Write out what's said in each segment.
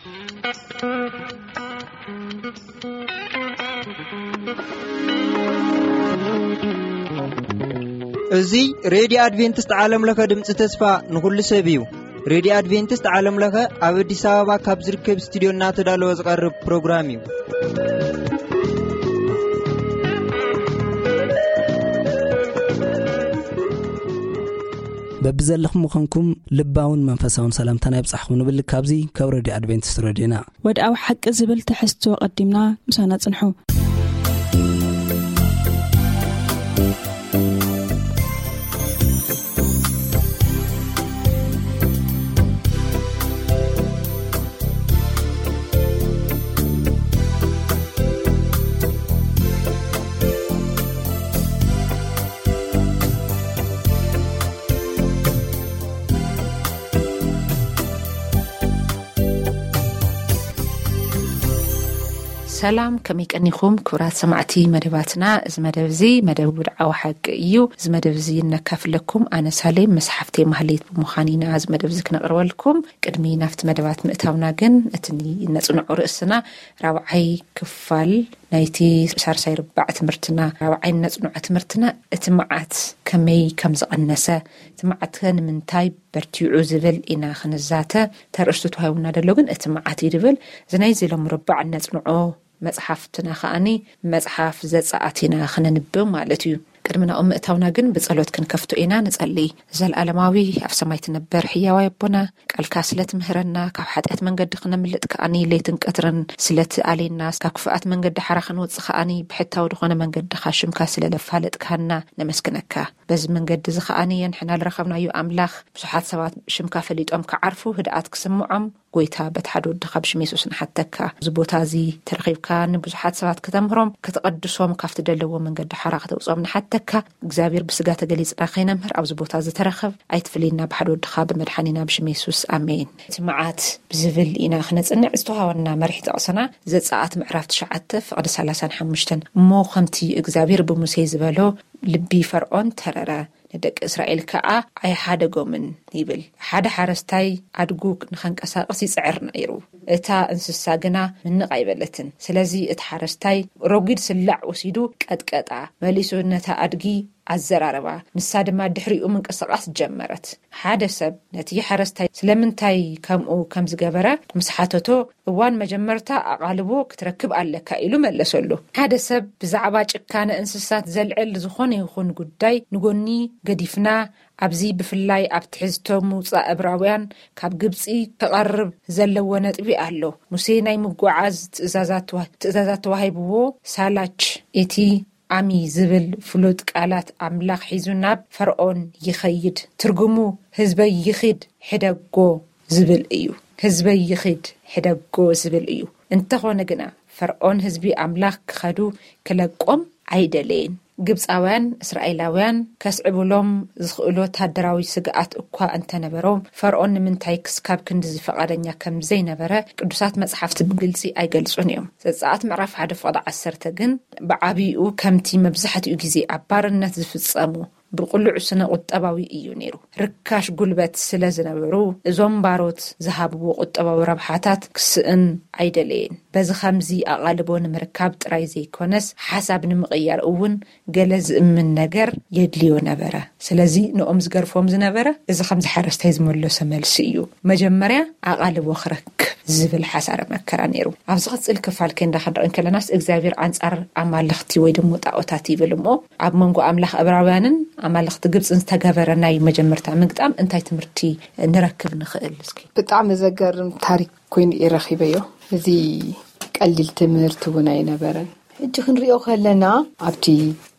እዚ ሬድዮ ኣድቬንቲስት ዓለም ለኸ ድምፂ ተስፋ ንኹሉ ሰብ እዩ። ሬድዮ ኣድቬንቲስት ዓለም ለኸ ኣብ ኣዲስ ኣበባ ካብ ዝርከብ ስቱዲዮ እናተዳለወ ዝቐርብ ፕሮግራም እዩ። በብዘለኹም ምዃንኩም ልባውን መንፈሳውን ሰላምታና ይብጻሕኹም ንብል። ካብዚ ካብ ሬድዮ ኣድቬንቲስት ሬድዮና። ወድኣዊ ሓቂ ዝብል ትሕዝቶ ቀዲምና ምሳና ጽንሑ። ሰላም፣ ከመይ ቀኒኹም ክቡራት ሰማዕቲ መደባትና? እዚ መደብ እዚ መደብ ውድዓዊ ሓቂ እዩ። እዚ መደብ እዚ እነካፍለኩም ኣነ ሳሌም ምስ ሓፍተይ ማህሌት ብምዃን ኢና እዚ መደብ እዚ ክነቕርበልኩም። ቅድሚ ናብቲ መደባት ምእታውና ግን እቲ እነጽንዖ ርእስና ራብዓይ ክፋል ናይቲ ሳልሳይ ርባዕ ትምህርትና፣ ራብዓይ እነጽንዖ ትምህርትና እቲ መዓት ከመይ ከም ዝቐነሰ፣ እቲ መዓት ከ ንምንታይ በርቲዑ ዝብል ኢና ክንዛተ። ተርእስቱ ተዋሂቡና ዘሎ ግን እቲ መዓት እዩ ድብል። እዚ ናይዚ ሎም ርባዕ እነጽንዖ መጽሓፍትና ከኣኒ መጽሓፍ ዘጸኣት ኢና ክነንብብ ማለት እዩ። ቅድሚ ናብኡ ምእታውና ግን ብጸሎት ክንከፍቶ ኢና። ንጸሊ። ዘልኣለማዊ ኣብ ሰማይ ትነበር ሕያዋይ ኣቦና፣ ቃልካ ስለ ትምህረና፣ ካብ ሓጢኣት መንገዲ ክነምልጥ ከኣኒ ለይትን ቀትርን ስለ ትኣሌና፣ ካብ ክፉኣት መንገዲ ሓራ ክንወጽእ ከኣኒ ብሕታዊ ዝኾነ መንገድኻ ሽምካ ስለ ለፋለጥካና ነመስግነካ። በዚ መንገዲ እዚ ከኣኒ የንሕና ልረኸብናዮ ኣምላኽ፣ ብዙሓት ሰባት ሽምካ ፈሊጦም ክዓርፉ ህድኣት ክስምዖም፣ ጎይታ በቲ ሓደ ወድኻ ብሽም የሱስ ንሓተካ። እዚ ቦታ እዚ ተረኺብካ ንብዙሓት ሰባት ከተምህሮም፣ ከተቐድሶም፣ ካብቲ ደለዎ መንገዲ ሓራ ከተውጽኦም ንሓተካ። እግዚኣብሔር ብስጋ ተገሊጽና ከይነምህር ኣብዚ ቦታ እዚ ተረኸብ፣ ኣይትፍልየና ብሓደ ወድኻ ብመድሓኒና ብሽም የሱስ ኣሜን። እቲ መዓት ብዝብል ኢና ክነጽንዕ ዝተዋሃበና መሪሕ ጥቕስና ዘጸኣት ምዕራፍ ትሽዓተ ፍቕዲ ሰላሳን ሓሙሽተን። እሞ ከምቲ እግዚኣብሔር ብሙሴ ዝበሎ ልቢ ፈርዖን ተረረ፣ ንደቂ እስራኤል ከኣ ኣይሓደጎምን ይብል። ሓደ ሓረስታይ ኣድጉ ንኸንቀሳቕስ ይጽዕር ነይሩ። እታ እንስሳ ግና ምንቕ ኣይበለትን። ስለዚ እቲ ሓረስታይ ረጒድ ስላዕ ወሲዱ ቀጥቀጣ፣ መሊሱ ነታ ኣድጊ ኣዘራረባ። ንሳ ድማ ድሕሪኡ ምንቅስቓስ ጀመረት። ሓደ ሰብ ነቲ ሓረስታይ ስለምንታይ ከምኡ ከም ዝገበረ ምስ ሓተቶ፣ እዋን መጀመርታ ኣቓልቦ ክትረክብ ኣለካ ኢሉ መለሰሉ። ሓደ ሰብ ብዛዕባ ጭካነ እንስሳት ዘልዕል ዝኾነ ይኹን ጉዳይ ንጎኒ ገዲፍና፣ ኣብዚ ብፍላይ ኣብ ትሕዝቶ ምውጻእ እብራውያን ካብ ግብጺ ክቐርብ ዘለዎ ነጥቢ ኣሎ። ሙሴ ናይ ምጉዓዝ ትእዛዛት ተዋ-፣ ትእዛዛት ተዋሂብዎ፣ ሳላች እቲ ኣሚ ዝብል ፍሉጥ ቃላት ኣምላኽ ሒዙ ናብ ፈርዖን ይኸይድ። ትርጉሙ ህዝበይ ይኺድ ሕደጎ ዝብል እዩ። ህዝበይ ይኺድ ሕደጎ ዝብል እዩ። እንተኾነ ግና ፈርዖን ህዝቢ ኣምላኽ ክኸዱ ክለቆም ኣይደለየን። ግብፃውያን እስራኤላውያን ከስዕብሎም ዝኽእሉ ወታደራዊ ስግኣት እኳ እንተነበሮም፣ ፈርዖን ንምንታይ ክስካብ ክንድዚ ፈቓደኛ ከም ዘይነበረ ቅዱሳት መጽሓፍቲ ብግልጺ ኣይገልጹን እዮም። ዘጸኣት ምዕራፍ ሓደ ፍቕዲ ዓሰርተ ግን ብዓቢኡ ከምቲ መብዛሕትኡ ግዜ ኣብ ባርነት ዝፍጸሙ ብቕሉዕ ስነ ቁጠባዊ እዩ ነይሩ። ርካሽ ጉልበት ስለ ዝነበሩ፣ እዞም ባሮት ዝሃብዎ ቁጠባዊ ረብሓታት ክስእን ኣይደለየን። በዚ ኸምዚ ኣቓልቦ ንምርካብ ጥራይ ዘይኮነስ፣ ሓሳብ ንምቕያር እውን ገለ ዝእምን ነገር የድልዮ ነበረ። ስለዚ ንኦም ዝገርፎም ዝነበረ እዚ ከምዚ ሓረስታይ ዝመለሶ መልሲ እዩ። መጀመርያ ኣቓልቦ ክረክብ ዝብል ሓሳረ መከራ ነይሩ። ኣብ ዝቕጽል ክፋል ከንዳ ክንርኢ እንከለናስ እግዚኣብሔር ኣንጻር ኣማልኽቲ ወይ ደሞ ጣኦታት ይብል እሞ ኣብ መንጎ ኣምላኽ እብራውያንን ኣማልኽቲ ግብጽን ዝተገበረ ናይ መጀመርታ ምግጣም እንታይ ትምህርቲ ንረክብ ንኽእል? እስኪ። ብጣዕሚ ዘገርም ታሪክ ኮይኑ እየ ረኺበዮ። እዚ ቀሊል ትምህርቲ እውን ኣይነበረን። ሕጂ ክንሪኦ ከለና ኣብቲ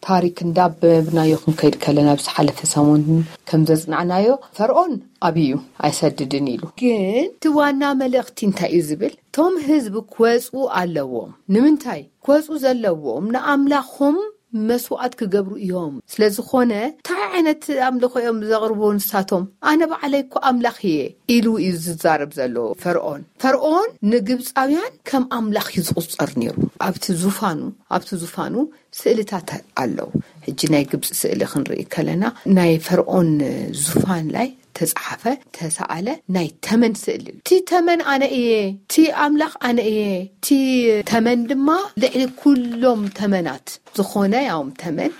ታሪክ እንዳበብናዮ ክንከይድ ከለና ኣብ ዝሓለፈ ሰሙን ከም ዘጽናዕናዮ ፈርዖን ኣብዩ ኣይሰድድን ኢሉ። ግን እቲ ዋና መልእኽቲ እንታይ እዩ ዝብል? እቶም ህዝቢ ክወጹ ኣለዎም። ንምንታይ? ክወጹ ዘለዎም ንኣምላኾም መስዋዕት ክገብሩ እዮም። ስለ ዝኾነ እንታይ ዓይነት ኣምልኾ እዮም ዘቕርቡ ንሳቶም? ኣነ ባዕለይ እኮ ኣምላኽ እየ ኢሉ እዩ ዝዛረብ ዘሎ ፈርዖን። ፈርዖን ንግብፃውያን ከም ኣምላኽ እዩ ዝቑፀር ነይሩ። ኣብቲ ዙፋኑ ኣብቲ ዙፋኑ ስእልታት ኣለዉ። ሕጂ ናይ ግብፂ ስእሊ ክንርኢ ከለና ናይ ፈርኦን ዙፋን ላይ ተፃሓፈ ተሰኣለ ናይ ተመን ስእሊ እዩ። እቲ ተመን ኣነ እየ፣ እቲ ኣምላኽ ኣነ እየ። እቲ ተመን ድማ ልዕሊ ኩሎም ተመናት ዝኾነ ያውም ተመን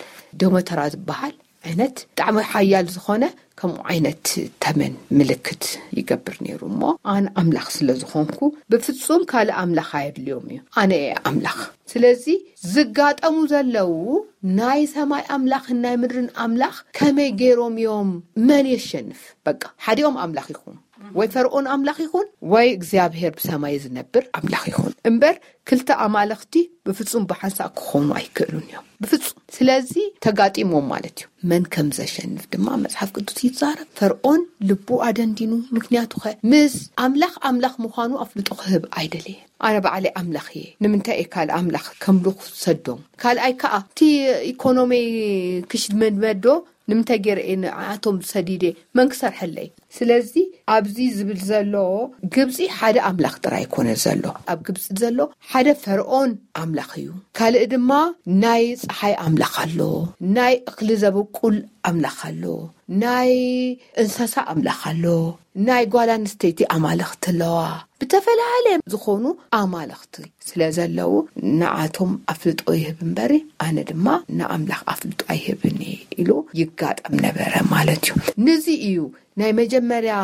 ደሞተራ ዝበሃል ዓይነት ብጣዕሚ ሓያል ዝኾነ ከምኡ ዓይነት ተመን ምልክት ይገብር ነይሩ። እሞ ኣነ ኣምላኽ ስለ ዝኾንኩ ብፍጹም ካልእ ኣምላኽ ኣየድልዮም እዩ፣ ኣነ እየ ኣምላኽ። ስለዚ ዝጋጠሙ ዘለዉ ናይ ሰማይ ኣምላኽን ናይ ምድርን ኣምላኽ ከመይ ገይሮም እዮም? መን የሸንፍ? በቃ ሓዲኦም ኣምላኽ ይኹኑ፣ ወይ ፈርኦን ኣምላኽ ይኹን ወይ እግዚኣብሔር ብሰማይ ዝነብር ኣምላኽ ይኹን እምበር ክልተ ኣማልኽቲ ብፍጹም ብሓንሳእ ክኾኑ ኣይክእሉን እዮም ብፍጹም። ስለዚ ተጋጢሞም ማለት እዩ። መን ከም ዘሸንፍ ድማ መጽሓፍ ቅዱስ ይዛረብ። ፈርኦን ልቡ ኣደንዲኑ፣ ምክንያቱ ኸ ምስ ኣምላኽ ኣምላኽ ምዃኑ ኣፍልጦ ክህብ ኣይደለየን። ኣነ ባዕለይ ኣምላኽ እየ፣ ንምንታይ እየ ካልእ ኣምላኽ ከምልኹ ሰዶም? ካልኣይ ከኣ እቲ ኢኮኖሚይ ክሽመድመዶ ንምንታይ ገይረ እየ ንዓቶም ሰዲደ? መን ክሰርሐለይ? ስለዚ ኣብዚ ዝብል ዘሎ ግብፂ ሓደ ኣምላኽ ጥራይ ኣይኮነ ዘሎ። ኣብ ግብፂ ዘሎ ሓደ ፈርኦን ኣምላኽ እዩ። ካልእ ድማ ናይ ፀሓይ ኣምላኽ ኣሎ፣ ናይ እኽሊ ዘበቁል ኣምላኽ ኣሎ፣ ናይ እንስሳ ኣምላኽ ኣሎ፣ ናይ ጓል ኣንስተይቲ ኣማልኽቲ ኣለዋ። ብተፈላለየ ዝኾኑ ኣማልኽቲ ስለ ዘለዉ ንዓቶም ኣፍልጦ ይህብ እምበሪ ኣነ ድማ ንኣምላኽ ኣፍልጦ ኣይህብን እየ ኢሉ ይጋጠም ነበረ ማለት እዩ። ነዚ እዩ ናይ መጀመርያ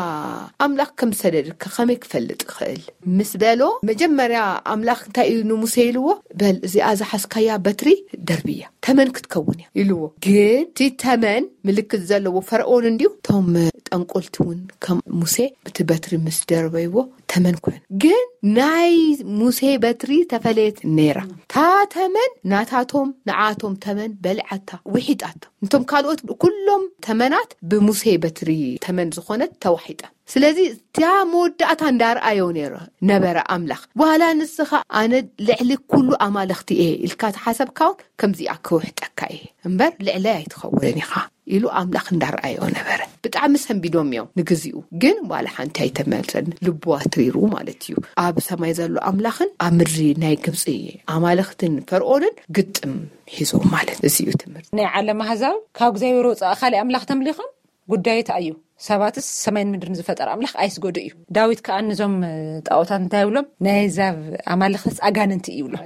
ኣምላኽ ከም ሰደድካ ከመይ ክፈልጥ ይኽእል ምስ በሎ፣ መጀመርያ ኣምላኽ እንታይ እዩ ንሙሴ ኢልዎ? በል እዚኣ ዝሓዝካያ በትሪ ደርብያ፣ ተመን ክትከውን እያ ኢልዎ። ግን እቲ ተመን ምልክት ዘለዎ ፈርኦን እንድዩ። እቶም ጠንቆልቲ እውን ከም ሙሴ ብቲ በትሪ ምስ ደርበይዎ ተመን ኮይኑ። ግን ናይ ሙሴ በትሪ ተፈለየት ነይራ። እታ ተመን ናታቶም ንዓቶም ተመን በሊዓታ፣ ውሒጣታ። እንቶም ካልኦት ኩሎም ተመናት ብሙሴ በትሪ ተመን ዝኾነት ተዋሒጠ። ስለዚ እታ መወዳእታ እንዳርኣዮ ነይሩ ነበረ ኣምላኽ። ዋላ ንስኻ ኣነ ልዕሊ ኩሉ ኣማልኽቲ እየ ኢልካ ተሓሰብካ እውን ከምዚኣ ክውሕጠካ እየ እምበር ልዕለይ ኣይትኸውን ኢኻ ኢሉ ኣምላኽ እንዳርኣዮ ነበረ። ብጣዕሚ ሰንቢዶም እዮም ንግዚኡ፣ ግን ዋላ ሓንቲ ኣይተመልሰን። ልቡ ኣትሪሩ ማለት እዩ። ኣብ ሰማይ ዘሎ ኣምላኽን ኣብ ምድሪ ናይ ግብፂ ኣማልኽትን ፈርኦንን ግጥም ሒዞም ማለት እዚ እዩ ትምህርቲ። ናይ ዓለም ኣህዛብ ካብ እግዚኣብሔር ወፃኢ ካልእ ኣምላኽ ተምሊኾም ጉዳይ ተኣዩ። ሰባትስ ሰማይን ምድርን ዝፈጠረ ኣምላኽ ኣይስገዱ እዩ። ዳዊት ከኣ ንዞም ጣዖታት እንታይ ይብሎም? ናይ ኣህዛብ ኣማልኽትስ ኣጋንንቲ እዩ ይብሎም።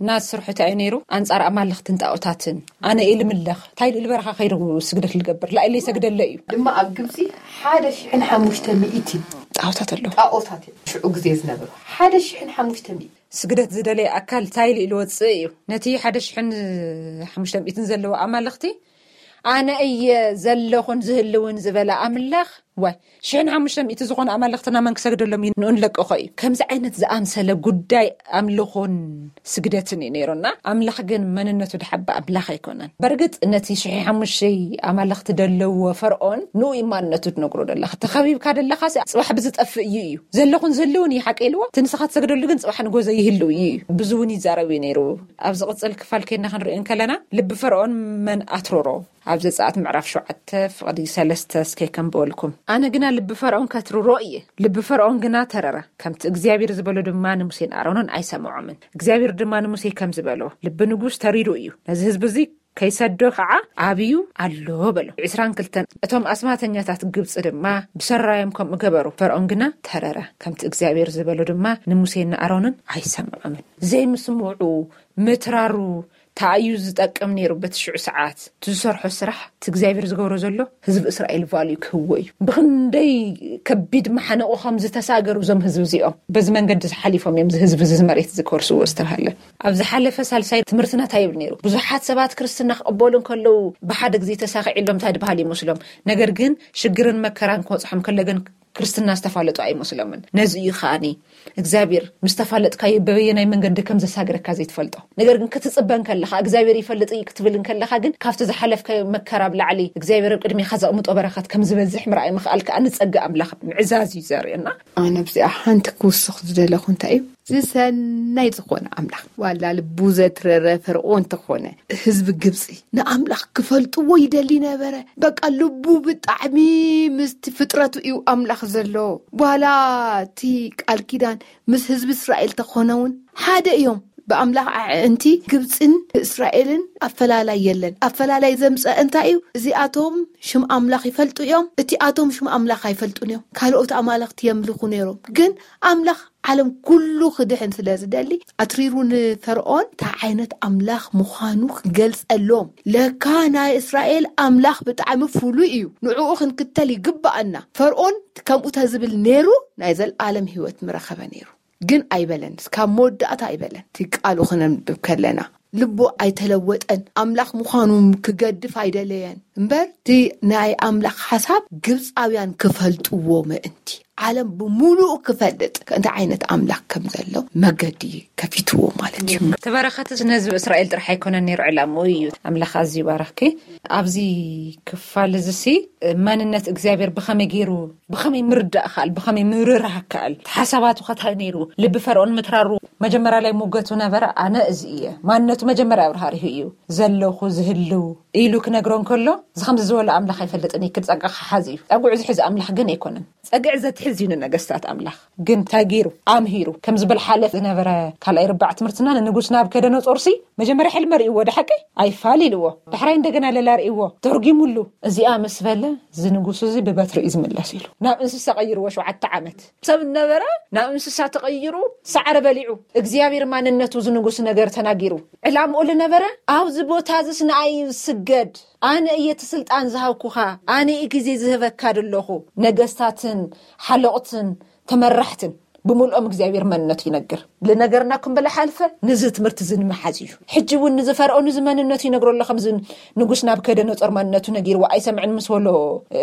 እና ዝስርሑ እንታይ እዩ ነይሩ? ኣንጻር ኣማልኽትን ጣዖታትን ኣነ እየ ልምለኽ። እንታይ ኢሉ በረኻ ከይዱ ስግደት ልገብር? ላኢለይ ሰግደለ እዩ። ድማ ኣብ ግብፂ ሓደ ሽሕን ሓሙሽተ ሚእቲ ጣዖታት ኣለዉ። ጣዖታት እዮም ሽዑ ግዜ ዝነበሩ። ሓደ ሽሕን ሓሙሽተ ሚእቲ። ስግደት ዝደለየ ኣካል እንታይ ኢሉ ኢሉ ወፅእ እዩ? ነቲ ሓደ ሽሕን ሓሙሽተ ሚእትን ዘለዎ ኣማልኽቲ ኣነ እየ ዘለኹን ዝህልውን ዝበለ ኣምላኽ፣ ዋይ፣ ሽሕን ሓሙሽተ ሚእቲ ዝኾኑ ኣማልኽትና መን ክሰግደሎም እዩ? ንኡ ንለቅኾ እዩ። ከምዚ ዓይነት ዝኣምሰለ ጉዳይ ኣምልኾን ስግደትን እዩ ነይሩና። ኣምላኽ ግን መንነቱ ድሓባ ኣምላኽ ኣይኮነን። በርግጥ ነቲ ሽሕ ሓሙሽተ ኣማልኽቲ ደለዎ ፈርኦን ንኡ እዩ ማንነቱ ትነግሮ ደለኻ። ተኸቢብካ ደለኻ ሲ ጽባሕ ብዝጠፍእ እዩ እዩ። ዘለኹን ዝህልውን እዩ ሓቂ ኢልዎ። እቲ ንስኻ ትሰግደሉ ግን ጽባሕ ንጎዘ ይህልው እዩ እዩ። ብዙ እውን ይዛረብ እዩ ነይሩ። ኣብ ዝቕጽል ክፋል ከይድና ክንሪኦ እንከለና ልቢ ፈርኦን መን ኣትረሮ? ኣብ ዘጸኣት ምዕራፍ ሸውዓተ ፍቕዲ ሰለስተ እስከ ከንብበልኩም። ኣነ ግና ልቢ ፈርኦን ከትርሮ እየ። ልቢ ፈርኦን ግና ተረረ። ከምቲ እግዚኣብሔር ዝበሎ ድማ ንሙሴን ኣሮንን ኣይሰምዖምን። እግዚኣብሔር ድማ ንሙሴ ከም ዝበሎ ልቢ ንጉስ ተሪሩ እዩ። ነዚ ህዝቢ እዚ ከይሰዶ ኸዓ ኣብዩ ኣሎ በሎ። ዕስራን ክልተን እቶም ኣስማተኛታት ግብጺ ድማ ብሰራዮም ከምኡ ገበሩ። ፈርኦን ግና ተረረ። ከምቲ እግዚኣብሔር ዝበሎ ድማ ንሙሴን ንኣሮንን ኣይሰምዖምን። ዘይምስምዑ ምትራሩ ታኣዩ ዝጠቅም ነይሩ። በቲ ሽዑ ሰዓት እቲ ዝሰርሖ ስራሕ እቲ እግዚኣብሔር ዝገብሮ ዘሎ ህዝቢ እስራኤል ቫልዩ ክህዎ እዩ። ብኽንደይ ከቢድ ማሕነቑ ከም ዝተሳገሩ እዞም ህዝቢ እዚኦም በዚ መንገዲ ዝሓሊፎም እዮም። እዚ ህዝቢ እዚ መሬት እዚ ክወርስዎ ዝተባሃለ ኣብ ዝሓለፈ ሳልሳይ ትምህርትና እንታይ ይብል ነይሩ? ብዙሓት ሰባት ክርስትና ክቕበሉ እንከለዉ ብሓደ ግዜ ተሳኺዕሎም እንታይ ድበሃል ይመስሎም። ነገር ግን ሽግርን መከራን ክወጽሖም ከሎ ግን ክርስትና ዝተፋለጡ ኣይመስሎምን። ነዚ እዩ ከኣኒ እግዚኣብሔር ምስ ተፋለጥካዮ በበየናይ መንገዲ ከም ዘሳግረካ ዘይትፈልጦ። ነገር ግን ክትጽበ እንከለኻ እግዚኣብሔር ይፈልጥ እዩ ክትብል እንከለኻ ግን ካብቲ ዝሓለፍካዮ መከራ ብላዕሊ እግዚኣብሔር ኣብ ቅድሜኻ ዘቕምጦ በረኸት ከም ዝበዝሕ ምርኣይ ምኽኣል ከኣ ንጸጋ ኣምላኽ ምዕዛዝ እዩ ዘርእየና። ኣነ ኣብዚኣ ሓንቲ ክውስኽ ዝደለኹ እንታይ እዩ? ዝሰናይ ዝኾነ ኣምላኽ ዋላ ልቡ ዘትረረ ፈርዖን እንተኾነ ህዝቢ ግብፂ ንኣምላኽ ክፈልጥዎ ይደሊ ነበረ። በቃ ልቡ ብጣዕሚ ምስቲ ፍጥረቱ እዩ ኣምላኽ ዘሎ። ዋላ እቲ ቃል ኪዳን ምስ ህዝቢ እስራኤል ተኾነ እውን ሓደ እዮም። ብኣምላኽ ኣዕንቲ ግብፅን እስራኤልን ኣፈላላይ የለን። ኣፈላላይ ዘምፀ እንታይ እዩ? እዚኣቶም ሽም ኣምላኽ ይፈልጡ እዮም፣ እቲኣቶም ሽም ኣምላኽ ኣይፈልጡን እዮም። ካልኦት ኣማልኽቲ የምልኹ ነይሮም። ግን ኣምላኽ ዓለም ኩሉ ክድሕን ስለ ዝደሊ ኣትሪሩ ንፈርዖን እንታይ ዓይነት ኣምላኽ ምዃኑ ክገልፀሎም፣ ለካ ናይ እስራኤል ኣምላኽ ብጣዕሚ ፍሉይ እዩ፣ ንዕኡ ክንክተል ይግባኣና። ፈርዖን ከምኡ ተዝብል ነይሩ ናይ ዘለኣለም ህይወት ምረኸበ ነይሩ። ግን ኣይበለን፣ እስካብ መወዳእታ ኣይበለን። እቲ ቃሉ ክነንብብ ከለና ልቡ ኣይተለወጠን፣ ኣምላኽ ምዃኑ ክገድፍ ኣይደለየን እምበር፣ እቲ ናይ ኣምላኽ ሓሳብ ግብፃውያን ክፈልጥዎ ምእንቲ፣ ዓለም ብምሉኡ ክፈልጥ እንታይ ዓይነት ኣምላኽ ከም ዘሎ መገዲ ከፊትዎ ማለት እዩ። እቲ በረኸት እዚ ነህዝቢ እስራኤል ጥራሕ ኣይኮነን ነይሩ ዕላምኡ እዩ። ኣምላኽ ኣዝዩ ባረኽኪ። ኣብዚ ክፋል እዚ ሲ መንነት እግዚኣብሔር ብኸመይ ገይሩ፣ ብኸመይ ምርዳእ ከኣል፣ ብኸመይ ምርራህ ከኣል፣ ሓሳባቱ ከታይ ነይሩ፣ ልቢ ፈርዖን ምትራሩ። መጀመርያ ላይ ሙገቱ ነበረ፣ ኣነ እዚ እየ። ማንነቱ መጀመርያ ኣብርሃሪሁ እዩ። ዘለኹ ዝህልው ኢሉ ክነግሮ እንከሎ፣ እዚ ከምዚ ዝበሎ ኣምላኽ ኣይፈልጥን እዩ፣ ክድ ጸጋ ክሓዝ እዩ። ጸጉዑ ዝሕዝ ኣምላኽ ግን ኣይኮነን። ጸግዒ ዘትሕዝ እዩ ንነገስታት ኣምላኽ። ግን ተጊሩ ኣምሂሩ ከም ዝበል ሓለፍ ዝነበረ ካልኣይ ርባዕ ትምህርትና ንንጉስ ናብከደነጾርሲ መጀመርያ ሕልመ ርእይዎ፣ ደሓቂ ኣይፋል ኢልዎ። ዳሕራይ እንደገና ለላ ርእይዎ፣ ተርጊሙሉ። እዚኣ ምስ በለ፣ እዚ ንጉስ እዚ ብበትሪ እዩ ዝምለስ ኢሉ ናብ እንስሳ ቀይርዎ። ሸውዓተ ዓመት ሰብ ነበረ፣ ናብ እንስሳ ተቐይሩ ሳዕሪ በሊዑ። እግዚኣብሔር ማንነቱ ዝንጉስ ነገር ተናጊሩ። ዕላምኡ ልነበረ ኣብዚ ቦታ እዚስ ንኣይ ስገድ፣ ኣነ እየ እቲ ስልጣን ዝሃብኩኻ፣ ኣነ እየ ግዜ ዝህበካ ደለኹ። ነገስታትን ሓለቕትን ተመራሕትን ብምልኦም እግዚኣብሔር መንነቱ ይነግር። ልነገርና ክንበለ ሓልፈ ንዚ ትምህርቲ እዚ ንምሓዝ እዩ። ሕጂ እውን ንዚ ፈርዖን እዚ መንነቱ ይነግሮ ኣሎ። ከምዚ ንጉስ ናብ ከደ ነጾር መንነቱ ነጊርዎ ኣይሰምዕን ምስ በሎ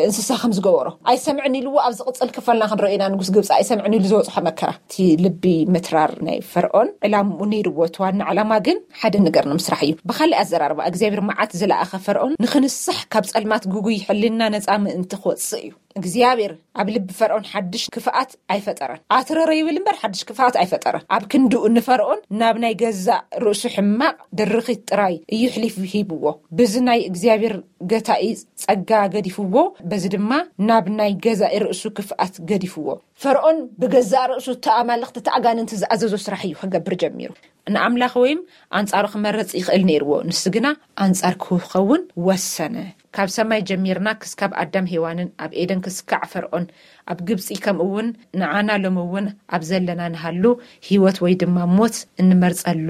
እንስሳ ከም ዝገበሮ ኣይሰምዕን ኢልዎ። ኣብ ዝቕጽል ክፋልና ክንረኦ ኢና። ንጉስ ግብፂ ኣይሰምዕን ኢሉ ዝወፅሖ መከራ፣ እቲ ልቢ ምትራር ናይ ፈርዖን ዕላምኡ ነይርዎ። እቲ ዋና ዕላማ ግን ሓደ ነገር ንምስራሕ እዩ። ብካሊእ ኣዘራርባ እግዚኣብሔር መዓት ዝለኣኸ ፈርዖን ንክንሳሕ ካብ ጸልማት ግጉይ ሕልና ነፃ ምእንቲ ክወፅእ እዩ። እግዚኣብሔር ኣብ ልቢ ፈርዖን ሓድሽ ክፍኣት ኣይፈጠረን። ኣትረረ ይብል እምበር ሓድሽ ክፍኣት ኣይፈጠረን። ኣብ ክንድኡ ንፈርዖን ናብ ናይ ገዛእ ርእሱ ሕማቕ ድርኺት ጥራይ እዩ ሕሊፍ ሂብዎ። ብዚ ናይ እግዚኣብሔር ገታኢ ጸጋ ገዲፍዎ፣ በዚ ድማ ናብ ናይ ገዛኢ ርእሱ ክፍኣት ገዲፍዎ። ፈርዖን ብገዛእ ርእሱ እቲ ኣማልኽቲ እቲ ኣጋንንቲ ዝኣዘዞ ስራሕ እዩ ክገብር ጀሚሩ። ንኣምላኽ ወይም ኣንጻሩ ክመረጽ ይኽእል ነይርዎ። ንሱ ግና ኣንጻር ክኸውን ወሰነ። ካብ ሰማይ ጀሚርና ክስካብ ኣዳም ሄዋንን ኣብ ኤደን ክስካዕ ፈርዖን ኣብ ግብጺ ከምኡ እውን ንዓና ሎሚ እውን ኣብ ዘለና ንሃሉ ህይወት ወይ ድማ ሞት እንመርጸሉ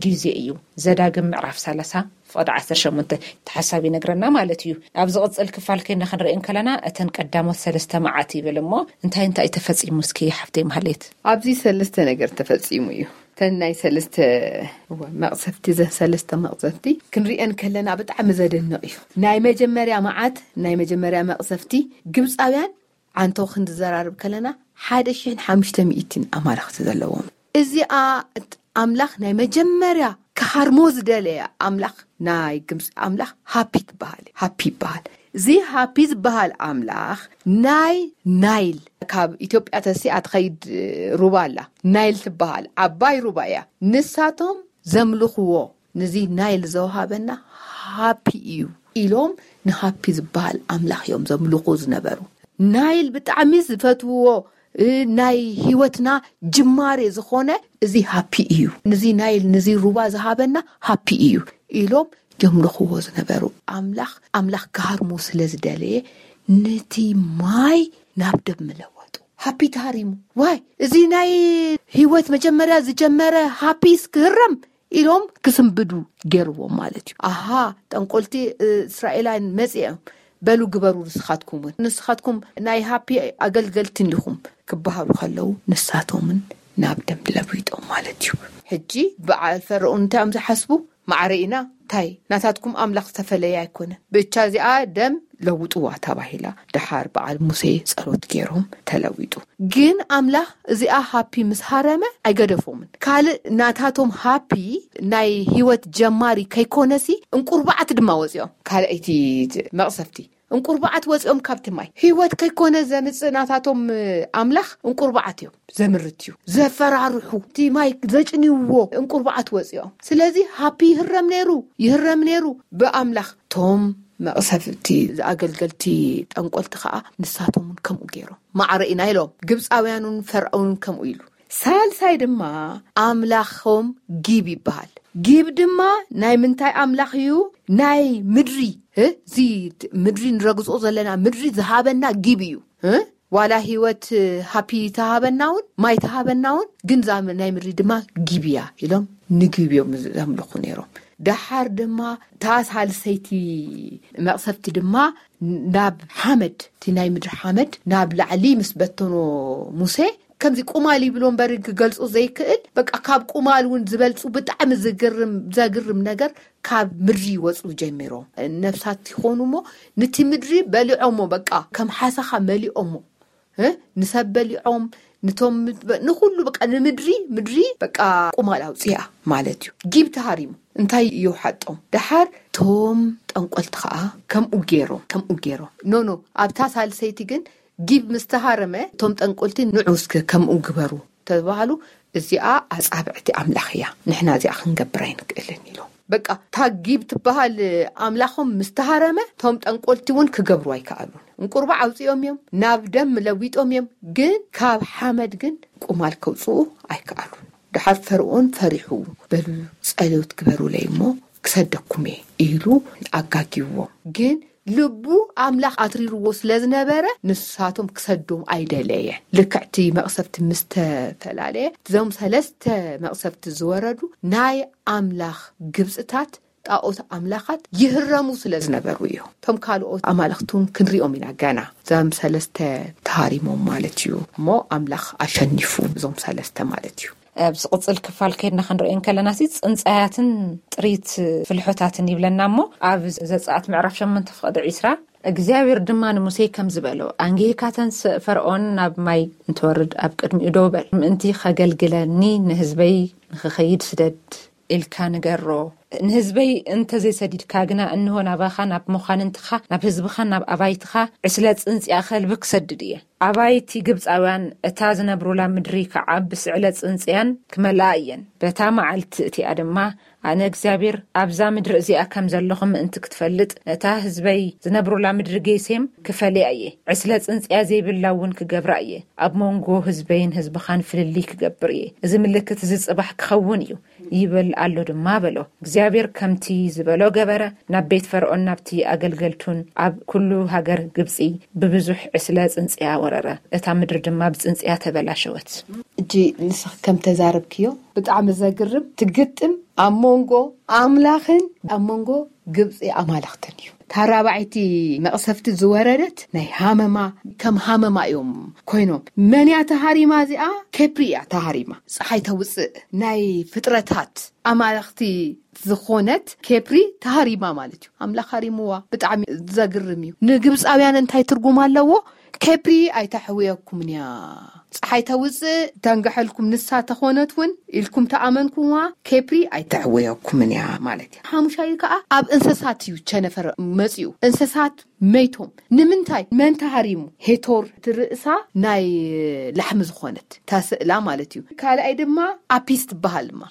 ግዜ እዩ። ዘዳግም ምዕራፍ ሰላሳ ፍቕዲ ዓሰርተ ሸሞንተ ተሓሳብ ይነግረና ማለት እዩ። ኣብ ዝቕጽል ክፋል ከይና ክንርኢ እንከለና እተን ቀዳሞት ሰለስተ መዓት ይብል እሞ እንታይ እንታይ ተፈጺሙ እስኪ ሓፍተይ ማህሌት? ኣብዚ ሰለስተ ነገር ተፈጺሙ እዩ። እተን ናይ ሰለስተ እወ፣ መቕሰፍቲ፣ እዘን ሰለስተ መቕሰፍቲ ክንሪአን ከለና ብጣዕሚ ዘደንቕ እዩ። ናይ መጀመርያ መዓት፣ ናይ መጀመርያ መቕሰፍቲ ግብፃውያን ዓንቶ ክንዝዘራርብ ከለና ሓደ ሽሕን ሓሙሽተ ሚእትን ኣማልኽቲ ዘለዎም። እዚኣ ኣምላኽ ናይ መጀመርያ ክሃርሞ ዝደለየ ኣምላኽ ናይ ግብፂ ኣምላኽ ሃፒ ትበሃል፣ ሃፒ ይበሃል። እዚ ሃፒ ዝበሃል ኣምላኽ ናይ ናይል፣ ካብ ኢትዮጵያ ተሲኣ ትኸይድ ሩባ ኣላ፣ ናይል ትበሃል ዓባይ ሩባ እያ። ንሳቶም ዘምልኽዎ፣ ነዚ ናይል ዘውሃበና ሃፒ እዩ ኢሎም ንሃፒ ዝበሃል ኣምላኽ እዮም ዘምልኹ ዝነበሩ። ናይል ብጣዕሚ ዝፈትውዎ፣ እ፣ ናይ ህይወትና ጅማሬ ዝኾነ እዚ ሃፒ እዩ። ነዚ ናይል፣ ነዚ ሩባ ዝሃበና ሃፒ እዩ ኢሎም የምልኽዎ ዝነበሩ ኣምላኽ፣ ኣምላኽ ክሃርሞ ስለ ዝደለየ ነቲ ማይ ናብ ደም ለወጡ። ሃፒ ተሃሪሙ። ዋይ፣ እዚ ናይ ህይወት መጀመርያ ዝጀመረ ሃፒስ ክህረም ኢሎም ክስንብዱ ገይርዎም ማለት እዩ። ኣሃ፣ ጠንቆልቲ እስራኤላውያን መጺኦም፣ በሉ ግበሩ ንስኻትኩም እውን። ንስኻትኩም ናይ ሃፒ ኣገልገልቲ እንዲኹም ክበሃሉ ከለዉ ንሳቶምን ናብ ደም ለዊጦም ማለት እዩ። ሕጂ በዓል ፈርዖን እንታይ እዮም ዝሓስቡ? ማዕረ ኢና እንታይ ናታትኩም ኣምላኽ ዝተፈለየ ኣይኮነን። ብቻ እዚኣ ደም ለውጥዋ ተባሂላ። ደሓር በዓል ሙሴ ጸሎት ገይሮም ተለዊጡ። ግን ኣምላኽ እዚኣ ሃፒ ምስ ሃረመ ኣይገደፎምን። ካልእ ናታቶም ሃፒ ናይ ህይወት ጀማሪ ከይኮነሲ እንቁርባዓት ድማ ወፂኦም። ካልኣይቲ መቕሰፍቲ እንቁርባዓት ወፂኦም ካብቲ ማይ። ህይወት ከይኮነ ዘምፅእ ናታቶም ኣምላኽ እንቁርባዓት እዮም ዘምርት እዩ ዘፈራርሑ። እቲ ማይ ዘጭንይዎ እንቁርባዓት ወፂኦም። ስለዚ ሃፒ ይህረም ነይሩ፣ ይህረም ነይሩ ብኣምላኽ። ቶም መቕሰፍቲ ኣገልገልቲ ጠንቆልቲ ከዓ ንሳቶም እውን ከምኡ ገይሮም። ማዕረ ኢና ኢሎም። ግብፃውያኑን ፈርዖንን ከምኡ ኢሉ። ሳልሳይ ድማ ኣምላኾም ጊብ ይበሃል። ጊብ ድማ ናይ ምንታይ ኣምላኽ እዩ? ናይ ምድሪ። እዚ ምድሪ ንረግጾ ዘለና ምድሪ ዝሃበና ጊብ እዩ። ዋላ ህይወት ሃፒ ተሃበና እውን፣ ማይ ተሃበና እውን፣ ግን ዛ ናይ ምድሪ ድማ ጊብ እያ ኢሎም ንጊብ እዮም ዘምልኹ ነይሮም። ደሓር ድማ እታ ሳልሰይቲ መቕሰፍቲ ድማ ናብ ሓመድ፣ እቲ ናይ ምድሪ ሓመድ ናብ ላዕሊ ምስ በተኖ፣ ሙሴ ከምዚ ቁማል ይብሎ እምበር ክገልጾ ዘይክእል፣ በቃ ካብ ቁማል እውን ዝበልጹ ብጣዕሚ ዝግርም፣ ዘግርም ነገር ካብ ምድሪ ይወጹ ጀሚሮም። ነፍሳት ይኾኑ እሞ፣ ነቲ ምድሪ በሊዖሞ፣ በቃ ከም ሓሰኻ መሊኦሞ። ንሰብ በሊዖም፣ ንቶም ንኩሉ፣ በቃ ንምድሪ፣ ምድሪ በቃ ቁማል ኣውፅያ ማለት እዩ። ጊብ ተሃሪሙ እንታይ ይውሓጦም? ደሓር ቶም ጠንቆልቲ ከዓ ከምኡ ገይሮም፣ ከምኡ ገይሮም። ኖ ኖ፣ ኣብታ ሳልሰይቲ ግን ጊብ ምስተሃረመ፣ ቶም ጠንቆልቲ ንዑ እስከ ከምኡ ግበሩ ተባሃሉ። እዚኣ ኣጻብዕቲ ኣምላኽ እያ፣ ንሕና እዚኣ ክንገብር ኣይንክእልን ኢሎም። በቃ እታ ጊብ ትበሃል ኣምላኾም ምስተሃረመ፣ ቶም ጠንቆልቲ እውን ክገብሩ ኣይከኣሉን። እንቁርባዕ ኣውፂኦም እዮም፣ ናብ ደም ለዊጦም እዮም፣ ግን ካብ ሓመድ ግን ቁማል ከውፅኡ ኣይከኣሉን። ደሓር ፈርኦን ፈሪሑ፣ በሉ ጸሎት ግበሩለይ እሞ ክሰደኩም እየ ኢሉ ኣጋጊዎም። ግን ልቡ ኣምላኽ ኣትሪርዎ ስለ ዝነበረ፣ ንሳቶም ክሰዶም ኣይደለየን። ልክዕቲ መቕሰፍቲ ምስ ተፈላለየ፣ እዞም ሰለስተ መቕሰፍቲ ዝወረዱ ናይ ኣምላኽ ግብጽታት ጣኦት ኣምላኻት ይህረሙ ስለ ዝነበሩ እዮም። እቶም ካልኦት ኣማልኽቲ እውን ክንሪኦም ኢና ገና። እዞም ሰለስተ ተሃሪሞም ማለት እዩ። እሞ ኣምላኽ ኣሸኒፉ እዞም ሰለስተ ማለት እዩ። ኣብ ዝቕጽል ክፋል ከይድና ክንሪኦ እንከለና ሲ፣ ጽንጻያትን ጥሪት ፍልሖታትን ይብለና እሞ፣ ኣብ ዘጸኣት ምዕራፍ ሸሞንተ ፍቕዲ ዒስራ፣ እግዚኣብሔር ድማ ንሙሴ ከምዚ በሎ፣ ኣንጊህካ ተንስእ፣ ፈርኦን ናብ ማይ እንትወርድ ኣብ ቅድሚኡ ደው በል፣ ምእንቲ ኸገልግለኒ ንህዝበይ ንኽኸይድ ስደድ ኢልካ ንገሮ። ንህዝበይ እንተዘይሰዲድካ ግና፣ እንሆ ናባኻ፣ ናብ መዃንንትኻ፣ ናብ ህዝብኻን ናብ ኣባይትኻ ዕስለ ጽንጽያ ከልቢ ክሰድድ እየ። ኣባይቲ ግብጻውያን እታ ዝነብሩላ ምድሪ ከዓ ብስዕለ ጽንጽያን ክመልኣ እየን። በታ መዓልቲ እቲኣ ድማ ኣነ እግዚኣብሔር ኣብዛ ምድሪ እዚኣ ከም ዘለኹ ምእንቲ ክትፈልጥ፣ ነታ ህዝበይ ዝነብሩላ ምድሪ ጌሴም ክፈልያ እየ። ዕስለ ጽንጽያ ዘይብላ እውን ክገብራ እየ። ኣብ መንጎ ህዝበይን ህዝብኻን ፍልልይ ክገብር እየ። እዚ ምልክት እዚ ጽባሕ ክኸውን እዩ፣ ይብል ኣሎ ድማ በሎ። እግዚኣብሔር ከምቲ ዝበሎ ገበረ። ናብ ቤት ፈርኦን ናብቲ ኣገልገልቱን ኣብ ኩሉ ሃገር ግብጺ ብብዙሕ ዕስለ ጽንጽያ ወረረ። እታ ምድሪ ድማ ብጽንጽያ ተበላሸወት። እጂ ንስኽ ከም ተዛረብክዮ ብጣዕሚ ዘግርም ትግጥም ኣብ መንጎ ኣምላኽን ኣብ መንጎ ግብጺ ኣማልኽትን እዩ። ታራባዕይቲ መቕሰፍቲ ዝወረደት ናይ ሃመማ፣ ከም ሃመማ እዮም ኮይኖም። መን እያ ተሃሪማ እዚኣ? ኬፕሪ እያ ተሃሪማ። ፀሓይ ተውፅእ ናይ ፍጥረታት ኣማልኽቲ ዝኾነት ኬፕሪ ተሃሪማ ማለት እዩ። ኣምላኽ ሃሪምዋ። ብጣዕሚ ዘግርም እዩ። ንግብፃውያን እንታይ ትርጉም ኣለዎ? ኬፕሪ ኣይተሕውየኩምን እያ። ፀሓይ ተውፅእ ተንግሐልኩም ንሳ ተኾነት እውን ኢልኩም ተኣመንኩምዋ፣ ኬፕሪ ኣይተሕውየኩምን እያ ማለት እዩ። ሓሙሻይ ከዓ ኣብ እንስሳት እዩ ቸነፈር መፂኡ። እንስሳት መይቶም። ንምንታይ? መን ተሃሪሙ? ሄቶር ትርእሳ ናይ ላሕሚ ዝኾነት ታስእላ ማለት እዩ። ካልኣይ ድማ ኣፒስ ትበሃል ድማ።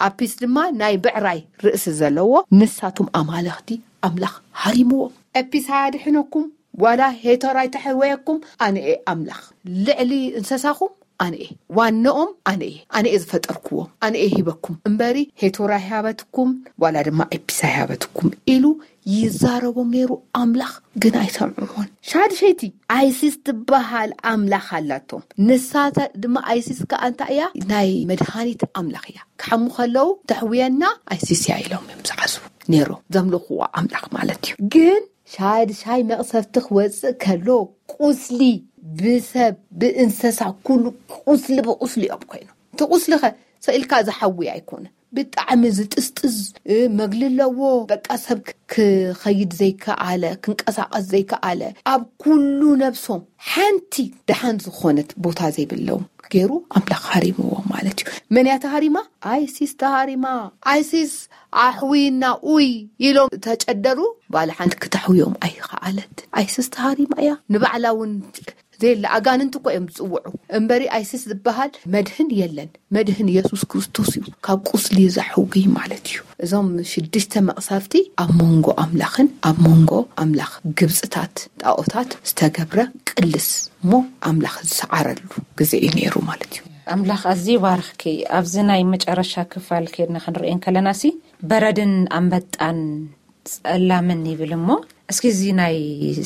ኣፒስ ድማ ናይ ብዕራይ ርእሲ ዘለዎ። ንሳቶም ኣማለኽቲ ኣምላኽ ሃሪምዎም። ኣፒስ ኣያድሕነኩም ዋላ ሄቶር ኣይተሕወየኩም፣ ኣነ እየ ኣምላኽ። ልዕሊ እንስሳኹም ኣነ እየ። ዋንኦም ኣነ እየ። ኣነ እየ ዝፈጠርክዎም። ኣነ እየ ሂበኩም እምበሪ ሄቶር ኣይሃበትኩም ዋላ ድማ ኣፒስ ኣይሃበትኩም ኢሉ ይዛረቦም ነይሩ ኣምላኽ፣ ግን ኣይሰምዕዎን። ሻድሸይቲ ኣይሲስ ትበሃል ኣምላኽ ኣላቶም። ንሳታ ድማ ኣይሲስ ከኣ እንታይ እያ? ናይ መድሃኒት ኣምላኽ እያ። ክሓሙ ከለዉ ተሕውየና ኣይሲስ እያ ኢሎም እዮም ዝሓስቡ ነይሮም፣ ዘምልኽዋ ኣምላኽ ማለት እዩ። ግን ሻድሻይ መቕሰፍቲ ክወፅእ ከሎ ቁስሊ ብሰብ ብእንስሳ ኩሉ ቁስሊ ብቁስሊ እዮም ኮይኖም። እቲ ቁስሊ ኸ ሰኢልካ ዝሓዊ ኣይኮነ፣ ብጣዕሚ ዝጥስጥስ፣ እ፣ መግሊ ኣለዎ። በቃ ሰብ ክ-፣ ክኸይድ ዘይከኣለ፣ ክንቀሳቐስ ዘይከኣለ፣ ኣብ ኩሉ ነብሶም ሓንቲ ደሓን ዝኾነት ቦታ ዘይብሎም ገይሩ ኣምላኽ ሃሪምዎም ማለት እዩ። መን እያ ተሃሪማ? ኣይሲስ ተሃሪማ። ኣይሲስ ኣሕዊና ኡይ ኢሎም ተጨደሩ። ባለ ሓንቲ ክተሕውዮም ኣይኸኣለት። ኣይሲስ ተሃሪማ እያ። ንባዕላ እውን ዘየለ ኣጋንንቲ እኮ እዮም ዝጽውዑ እምበሪ ኣይሲስ ዝበሃል መድህን የለን። መድህን የሱስ ክርስቶስ እዩ፣ ካብ ቁስሊ ዘሕውይ ማለት እዩ። እዞም ሽዱሽተ መቕሰፍቲ ኣብ መንጎ ኣምላኽን ኣብ መንጎ ኣምላኽ ግብጽታት ጣኦታት ዝተገብረ ቅልስ እሞ ኣምላኽ ዝሰዓረሉ ግዜ እዩ ነይሩ ማለት እዩ። ኣምላኽ ኣዝዩ ይባርኽኪ። ኣብዚ ናይ መጨረሻ ክፋል ከይድና ክንርእየን ከለናሲ፣ በረድን ኣንበጣን ጸላምን ይብል እሞ፣ እስኪ እዚ ናይ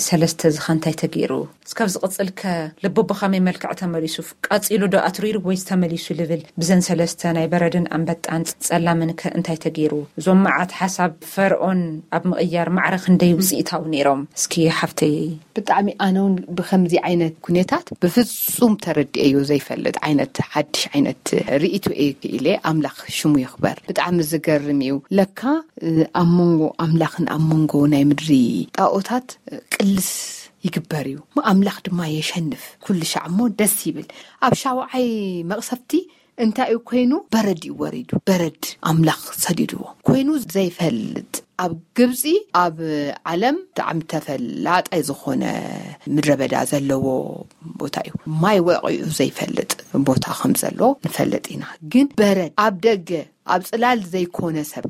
ሰለስተ እዚ ኸ እንታይ ተገይሩ? እስካብ ዝቕጽል ከ ልቡ ብኸመይ መልክዕ ተመሊሱ? ቀጺሉ ዶ ኣትሪሩ ወይስ ተመሊሱ ልብል? ብዘን ሰለስተ ናይ በረድን ኣንበጣን ጸላምን ከ እንታይ ተገይሩ? እዞም መዓት ሓሳብ ፈርኦን ኣብ ምቕያር ማዕረ ክንደይ ውጽኢታዊ ነይሮም? እስኪ ሓፍተይ። ብጣዕሚ ኣነ እውን ብኸምዚ ዓይነት ኩነታት ብፍጹም ተረድኤዮ ዘይፈልጥ ዓይነት ሓድሽ ዓይነት ርእይቶ እየ ክኢለ። ኣምላኽ ሽሙ ይኽበር። ብጣዕሚ ዝገርም እዩ። ለካ ኣብ መንጎ ኣምላኽን ኣብ መንጎ ናይ ምድሪ ጣኦታት ቅልስ ይግበር እዩ። ኣምላኽ ድማ የሸንፍ። ኩሉ ሻዕ እሞ ደስ ይብል። ኣብ ሻውዓይ መቕሰፍቲ እንታይ እዩ ኮይኑ? በረድ እዩ ወሪዱ። በረድ ኣምላኽ ሰዲድዎ ኮይኑ ዘይፈልጥ፣ ኣብ ግብፂ፣ ኣብ ዓለም ብጣዕሚ ተፈላጣይ ዝኾነ ምድረ በዳ ዘለዎ ቦታ እዩ። ማይ ወቂዑ ዘይፈልጥ ቦታ ከም ዘሎ ንፈልጥ ኢና። ግን በረድ ኣብ ደገ ኣብ ፅላል ዘይኮነ ሰብ፣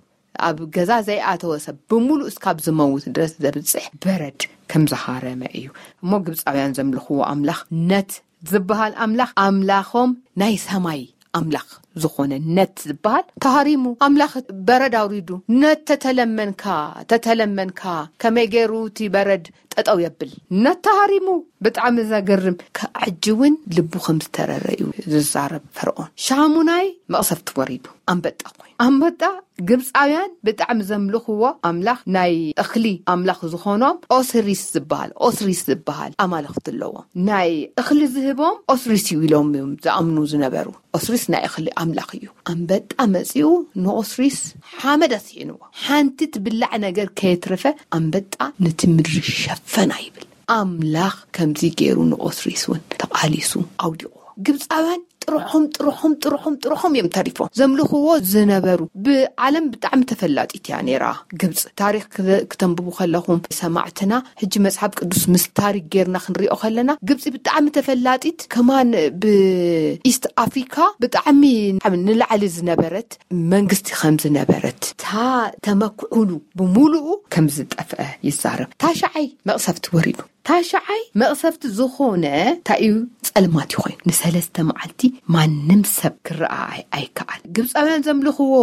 ኣብ ገዛ ዘይኣተወ ሰብ ብምሉእ እስካብ ዝመውት ድረስ ዘብፅሕ በረድ ከም ዝሃረመ እዩ። እሞ ግብፃውያን ዘምልኽዎ ኣምላኽ ነት ዝበሃል ኣምላኽ፣ ኣምላኾም ናይ ሰማይ ኣምላኽ ዝኾነ ነት ዝበሃል ተሃሪሙ። ኣምላኽ በረድ ኣውሪዱ። ነት ተተለመንካ፣ ተተለመንካ፣ ከመይ ገይሩ እቲ በረድ ጠጠው የብል? ነት ተሃሪሙ። ብጣዕሚ ዘገርም። ከዕጂ እውን ልቡ ከም ዝተረረ እዩ ዝዛረብ ፈርኦን። ሻሙናይ መቕሰፍቲ ወሪዱ። ኣንበጣ ኮይኑ። ኣንበጣ ግብፃውያን ብጣዕሚ ዘምልኽዎ ኣምላኽ፣ ናይ እኽሊ ኣምላኽ ዝኾኖም ኦስሪስ ዝበሃል፣ ኦስሪስ ዝበሃል ኣማልኽቲ ኣለዎም። ናይ እኽሊ ዝህቦም ኦስሪስ እዩ ኢሎም እዮም ዝኣምኑ ዝነበሩ። ኦስሪስ ናይ እኽሊ ኣምላኽ እዩ። ኣንበጣ መፂኡ ንኦስሪስ ሓመድ ኣስሒንዎ። ሓንቲ ትብላዕ ነገር ከየትረፈ ኣንበጣ ነቲ ምድሪ ሸፈና ይብል። ኣምላኽ ከምዚ ገይሩ ንኦስሪስ እውን ተቓሊሱ ኣውዲቕዎ። ግብፃውያን ጥርሖም ጥርሖም ጥርሖም ጥርሖም እዮም ተሪፎም። ዘምልኽዎ ዝነበሩ፣ ብዓለም ብጣዕሚ ተፈላጢት እያ ነይራ ግብፂ። ታሪኽ ክተ- ክተንብቡ ከለኹም ሰማዕትና፣ ሕጂ መጽሓፍ ቅዱስ ምስ ታሪክ ጌርና ክንሪኦ ከለና፣ ግብፂ ብጣዕሚ ተፈላጢት፣ ከማን ብኢስት ኣፍሪካ ብጣዕሚ ንላዕሊ ዝነበረት መንግስቲ ከም ዝነበረት፣ እታ ተመክዑሉ ብምሉኡ ከም ዝጠፍአ ይዛረብ። ታሽዓይ መቕሰፍቲ ወሪዱ። ታሽዓይ መቕሰፍቲ ዝኾነ እንታይ እዩ? ጸልማት እዩ ኮይኑ። ንሰለስተ መዓልቲ ማንም ሰብ ክረኣ ኣይ- ኣይከኣል። ግብፃውያን ዘምልኽዎ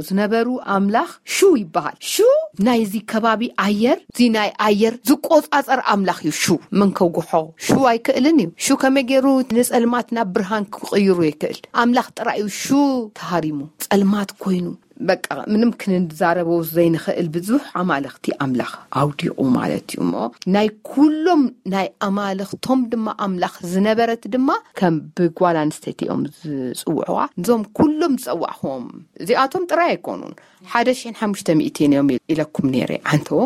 ዝነበሩ ኣምላኽ ሹ ይበሃል። ሹ ናይዚ ከባቢ ኣየር፣ እዚ ናይ ኣየር ዝቆጻጸር ኣምላኽ እዩ። ሹ መን ከጉሖ? ሹ ኣይክእልን እዩ። ሹ ከመይ ገይሩ ንጸልማት ናብ ብርሃን ክቕይሩ ይክእል? ኣምላኽ ጥራይ እዩ ሹ ተሃሪሙ፣ ጸልማት ኮይኑ። በቃ ምንም ክንዛረቦ ዘይንኽእል ብዙሕ ኣማልኽቲ ኣምላኽ ኣውዲቑ ማለት እዩ። እሞ ናይ ኩሎም ናይ ኣማልኽቶም ድማ ኣምላኽ ዝነበረት ድማ ከም ብጓል ኣንስተይቲ እዮም ዝጽውዕዋ። እዞም ኩሎም ዝጸዋዕኹዎም እዚኣቶም ጥራይ ኣይኮኑን፣ ሓደ ሽሕን ሓሙሽተ ሚእትን እዮም ኢለኩም ነይረ። ዓንተዎ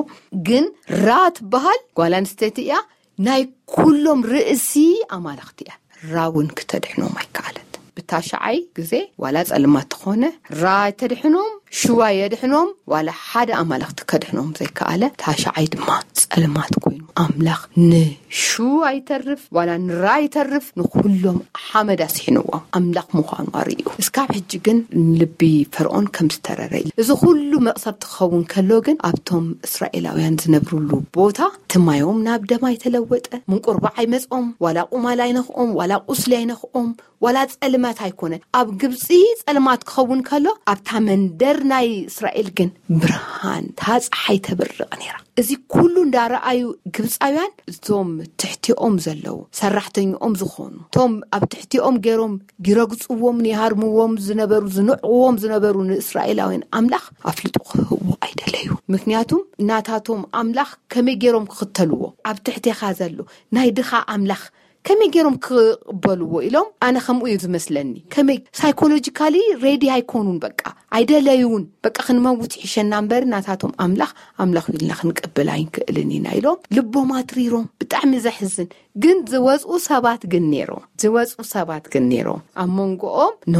ግን ራ ትበሃል ጓል ኣንስተይቲ እያ። ናይ ኩሎም ርእሲ ኣማልኽቲ እያ። ራ እውን ክተድሕኖም ኣይከኣለት። ብታሽዓይ ግዜ ዋላ ጸልማት ትኾነ ራ ኣይተድሕኖም፣ ሽዋ የድሕኖም፣ ዋላ ሓደ ኣማልኽቲ ከድሕኖም ዘይከኣለ፣ ታሽዓይ ድማ ጸልማት ኮይኑ ኣምላኽ ንሹ ኣይተርፍ ዋላ ንራ ኣይተርፍ ንኩሎም ሓመድ ኣስሒንዎም ኣምላኽ ምዃኑ ኣርእዩ። እስካብ ሕጂ ግን ልቢ ፈርኦን ከም ዝተረረ እዩ። እዚ ኩሉ መቕሰፍቲ ክኸውን ከሎ ግን ኣብቶም እስራኤላውያን ዝነብሩሉ ቦታ እቲ ማዮም ናብ ደም ኣይተለወጠ፣ ምንቁርባዕ ኣይመጽኦም፣ ዋላ ቁማል ኣይነኽኦም፣ ዋላ ቁስሊ ኣይነኽኦም፣ ዋላ ጸልማት ኣይኮነን። ኣብ ግብጺ ጸልማት ክኸውን ከሎ ኣብታ መንደር ናይ እስራኤል ግን ብርሃን፣ እታ ጸሓይ ተብርቕ ነይራ። እዚ ኩሉ እንዳረኣዩ ግብጻውያን እቶም ትሕቲኦም ዘለዉ ሰራሕተኛኦም ዝኾኑ፣ እቶም ኣብ ትሕቲኦም ገይሮም ይረግጽዎም፣ ይሃርምዎም ዝነበሩ፣ ዝንዕቕዎም ዝነበሩ ንእስራኤላውያን ኣምላኽ ኣፍልጦ ክህብዎ ኣይደለዩ። ምክንያቱም ናታቶም ኣምላኽ ከመይ ገይሮም ክኽተልዎ? ኣብ ትሕቴኻ ዘሎ ናይ ድኻ ኣምላኽ ከመይ ገይሮም ክቕበልዎ ኢሎም፣ ኣነ ከምኡ እዩ ዝመስለኒ። ከመይ ሳይኮሎጂካሊ ሬዲ ኣይኮኑን፣ በቃ ኣይደለዩን። በቃ ክንመውት ይሕሸና እምበር ናታቶም ኣምላኽ ኣምላኽ ኢልና ክንቅብል ኣይንክእልን ኢና ኢሎም ልቦም ኣትሪሮም። ብጣዕሚ ዘሕዝን። ግን ዝወፅኡ ሰባት ግን ነይሮም፣ ዝወፅኡ ሰባት ግን ነይሮም። ኣብ መንጎኦም ኖ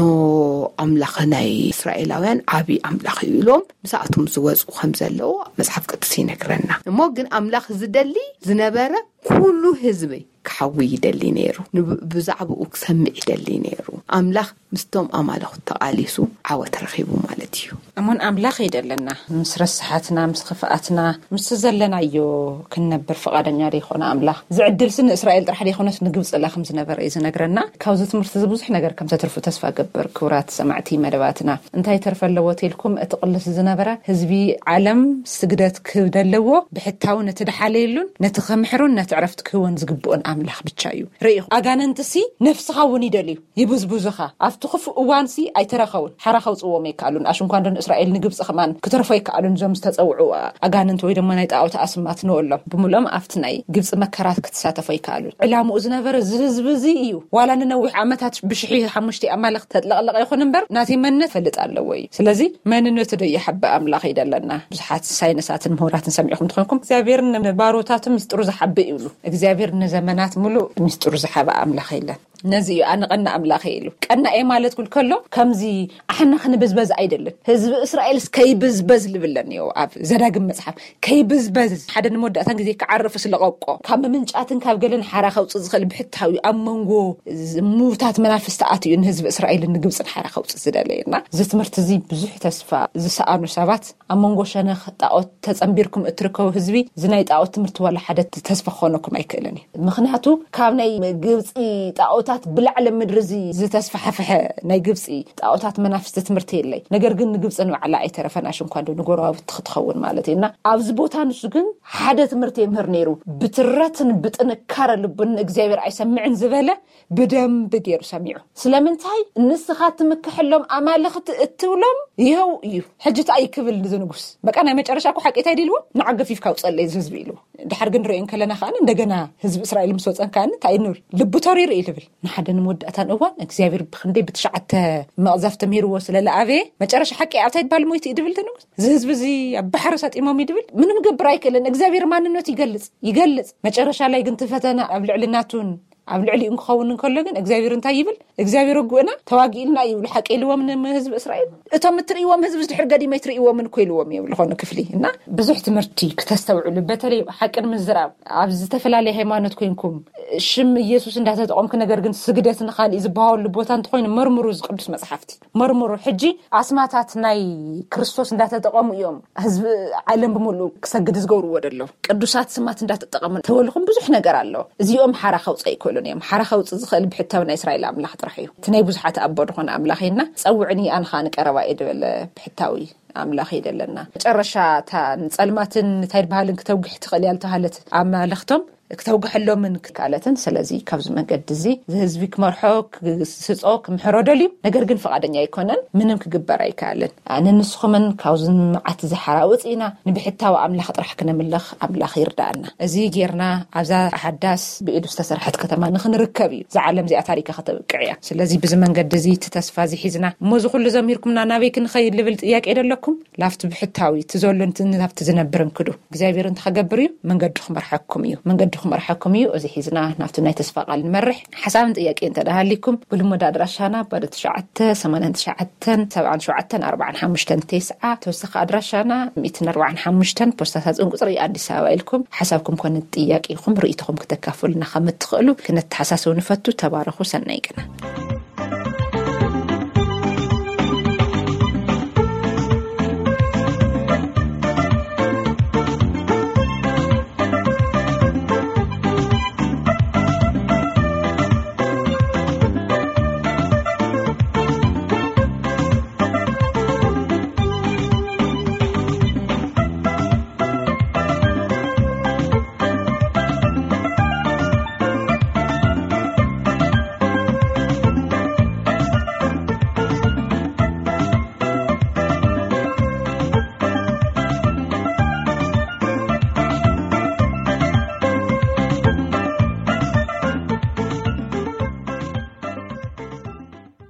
ኣምላኽ ናይ እስራኤላውያን ዓብዪ ኣምላኽ እዩ ኢሎም ምስኣቶም ዝወፅኡ ከም ዘለዉ መጽሓፍ ቅዱስ ይነግረና። እሞ ግን ኣምላኽ ዝደሊ ዝነበረ ኩሉ ህዝቢ ክሓዊ ይደሊ ነይሩ። ንብ- ብዛዕባኡ ክሰምዕ ይደሊ ነይሩ። ኣምላኽ ምስቶም ኣማልኹት ተቓሊሱ ዓወት ረኺቡ ማለት እዩ። እሙን ኣምላኽ ይደለና። ምስ ረስሓትና፣ ምስ ኽፍኣትና፣ ምስ ዘለናዮ ክንነብር ፍቓደኛ ዘይኾነ ኣምላኽ፣ ዝዕድልሲ ንእስራኤል ጥራሕ ዘይኮነስ ንግብፂ ላ ከም ዝነበረ እዩ ዝነግረና። ካብዚ ትምህርቲ እዚ ብዙሕ ነገር ከም ተትርፉ ተስፋ ገብር። ክቡራት ሰማዕቲ መደባትና፣ እንታይ ተርፈ ኣለዎ ተልኩም፣ እቲ ቅልስ ዝነበረ ህዝቢ ዓለም ስግደት ክህብ ደለዎ ብሕታዊ ነቲ ድሓለየሉን ነቲ ክምሕሩን ነቲ ዕረፍቲ ክህቦን ዝግብኦን ኣምላኽ ብቻ እዩ። ርእኹ፣ ኣጋንንትሲ ነፍስኻ እውን ይደልዩ፣ ይብዝብዙኻ። ኣብቲ ክፉእ እዋንሲ ኣይተረኸቡን፣ ሓራ ከውፅዎም ኣይከኣሉን። ኣሽንኳንዶ ንእስራኤል ንግብፂ ከማን ክተርፎ ኣይከኣሉን። እዞም ዝተፀውዑ ኣጋንንት ወይ ድማ ናይ ጣዖት ኣስማት ንበሎም ብምልኦም ኣብቲ ናይ ግብፂ መከራት ክትሳተፎ ኣይከኣሉን። ዕላምኡ ዝነበረ እዚ ህዝቢ እዚ እዩ። ዋላ ንነዊሕ ዓመታት ብሽሒ ሓሙሽተ ኣማልኽቲ ተጥለቕለቐ ይኹን እምበር ናተይ መንነት ፈልጥ ኣለዎ እዩ። ስለዚ መንነቱ ዶ ይሓብእ ኣምላኽ ይደለና። ብዙሓት ሳይንሳትን ምሁራትን ሰሚዕኹም ትኾንኩም እግዚኣብሔር ንባሮታቱ ምስጢሩ ዝሓብእ ይብሉ። እግዚኣብሔር ንዘመናት ሙሉእ ምስጢሩ ዝሓበ ኣምላኽ የለን። ነዚ እዩ ኣነ ቀና ኣምላኽ ኢሉ። ቀና እየ ማለት ኩል ከሎ ከምዚ ኣሕና ክንብዝበዝ ኣይደልን። ህዝቢ እስራኤልስ ከይብዝበዝ ልብለን እዩ ኣብ ዘዳግም መጽሓፍ። ከይብዝበዝ ሓደ ንመወዳእታን ግዜ ክዓርፍ ስለቐቆ ካብ ምምንጫትን ካብ ገለን ሓራ ከውፅእ ዝኽእል ብሕታዊ ኣብ መንጎ ዝ-፣ ምውታት መናፍስቲ ኣትዩ ንህዝቢ እስራኤልን ንግብፅን ሓራ ከውፅእ ዝደለየ እና እዚ ትምህርቲ እዚ ብዙሕ ተስፋ ዝሰኣኑ ሰባት ኣብ መንጎ ሸነኽ ጣዖት ተጸንቢርኩም እትርከቡ ህዝቢ፣ እዚ ናይ ጣዖት ትምህርቲ ዋላ ሓደ ተስፋ ክኾነኩም ኣይክእልን እዩ። ምኽንያቱ ካብ ናይ ግብጺ ጣዖታት ብላዕሊ ምድሪ እዚ ዝተስፋሕፍሐ ናይ ግብጺ ጣዖታት መናፍስቲ ትምህርቲ የለይ። ነገር ግን ንግብጺ ንባዕላ ኣይተረፈን፣ ኣሽንኳ እንዶ ንጎረባብቲ ክትኸውን ማለት እዩ። እና ኣብዚ ቦታ ንሱ ግን ሓደ ትምህርቲ የምህር ነይሩ። ብትረትን ብጥንካረ ልቡን ንእግዚኣብሔር ኣይሰምዕን ዝበለ ብደንብ ገይሩ ሰሚዑ። ስለምንታይ ንስኻ ትምክሐሎም ኣማልኽቲ እትብሎም ይኸው እዩ። ሕጂ እንታይ ክብል እዚ ንጉስ? በቃ ናይ መጨረሻ እኮ ሓቂ እንታይ ድልዎ? ንዓ ገፊፍካ ውፀለይ እዚ ህዝቢ ኢልዎ። ድሓር ግን ንሪኦ እንከለና ከኣ እንደገና ህዝቢ እስራኤል ምስ ወፀን ከኣ እንታይ ንብል? ልቡ ተሪሩ እዩ ልብል። ንሓደ ንመወዳእታን እዋን እግዚኣብሔር ብክንደይ ብትሽዓተ መቕዘፍቲ ምሂርዎ ስለ ለኣበየ መጨረሻ ሓቂ ኣብታይ ባል ሞይቱ እዩ ድብል እቲ ንጉስ። እዚ ህዝቢ እዚ ኣብ ባሕሪ ሰጢሞም እዩ ድብል። ምንም ገብር ኣይክእልን። እግዚኣብሔር ማንነቱ ይገልጽ፣ ይገልጽ። መጨረሻ ላይ ግን እቲ ፈተና ኣብ ልዕሊ ናቱን ኣብ ልዕሊኡ ክኸውን እንከሎ ግን እግዚኣብሔር እንታይ ይብል? እግዚኣብሔር ወጉእና ተዋጊእልና እዩ ይብሉ። ሓቂ ኢልዎም ንህዝቢ እስራኤል። እቶም እትርእይዎም ህዝቢ ድሕር ገዲም ኣይትርእይዎምን እኮ ኢልዎም እዮም ዝኾነ ክፍሊ። እና ብዙሕ ትምህርቲ ክተስተውዕሉ፣ በተለይ ሓቂ ንምዝራብ ኣብ ዝተፈላለየ ሃይማኖት ኮይንኩም ሽም ኢየሱስ እንዳተጠቐምኩ ነገር ግን ስግደት ንኻልእ ዝበሃወሉ ቦታ እንተኾይኑ መርምሩ፣ እዚ ቅዱስ መጽሓፍቲ መርምሩ። ሕጂ ኣስማታት ናይ ክርስቶስ እንዳተጠቐሙ እዮም ህዝቢ ዓለም ብምሉእ ክሰግድ ዝገብርዎ ደሎ። ቅዱሳት ስማት እንዳተጠቐሙ ተበልኹም ብዙሕ ነገር ኣሎ። እዚኦም ሓራ ከውፅእ ኣይክእሉን እዮም። ሓራ ከውፅእ ዝኽእል ብሕታዊ ናይ እስራኤል ኣምላኽ ጥራሕ እዩ። እቲ ናይ ብዙሓት ኣቦ ዝኾነ ኣምላኽ እና ጸውዕኒ ኣንኻ ንቀረባ እየ ዝበለ ብሕታዊ ኣምላኽ እዩ ደለና። መጨረሻ እታ ንጸልማትን እንታይ ድበሃልን ክተውግሕ ትኽእል እያ ዝተባሃለት ኣማልኽቶም ክተውግሐሎምን ክካለትን። ስለዚ ካብዚ መንገዲ እዚ እዚ ህዝቢ ክመርሖ፣ ክስጾ፣ ክምሕሮ ደልዩ፣ ነገር ግን ፍቓደኛ ኣይኮነን። ምንም ክግበር ኣይከኣልን። ኣነ ንስኹምን ካብዚ መዓት እዚ ሓራ ውፅኢና ንብሕታዊ ኣምላኽ ጥራሕ ክነምልኽ ኣምላኽ ይርዳእና። እዚ ጌርና ኣብዛ ሓዳስ ብኢዱ ዝተሰርሐት ከተማ ንኽንርከብ እዩ። እዛ ዓለም እዚኣ ታሪካ ከተብቅዕ እያ። ስለዚ ብዚ መንገዲ እዚ እቲ ተስፋ እዚ ሒዝና እሞ እዚ ኩሉ ዘሚርኩምና ናበይ ክንኸይድ ልብል ጥያቄ ደለኩም? ላፍቲ ብሕታዊ እቲ ዘሎ እንትን ናብቲ ዝነብር እንክዱ እግዚኣብሔር እንተ ከገብር እዩ መንገዱ ክመርሐኩም እዩ። መንገዱ ክመርሐኩም እዩ። እዚ ሒዝና ናብቲ ናይ ተስፋ ቃል ንመርሕ። ሓሳብን ጥያቄ እንተ ደሃሊኩም ብልሙድ ኣድራሻና ባዶ ትሽዓተ ሰማንያን ትሽዓተን ሰብዓን ሸውዓተን ኣርባዓን ሓሙሽተን ተስዓ፣ ተወሳኺ ኣድራሻና ሚእትን ኣርባዓን ሓሙሽተን ፖስታ ሳጥን ቁጽሪ ኣዲስ ኣበባ ኢልኩም ሓሳብኩም ኮነ ጥያቄኹም ርእይቶኹም ክተካፍሉና ከም እትኽእሉ ክነተሓሳስብ ንፈቱ። ተባረኹ። ሰናይ ቅነ።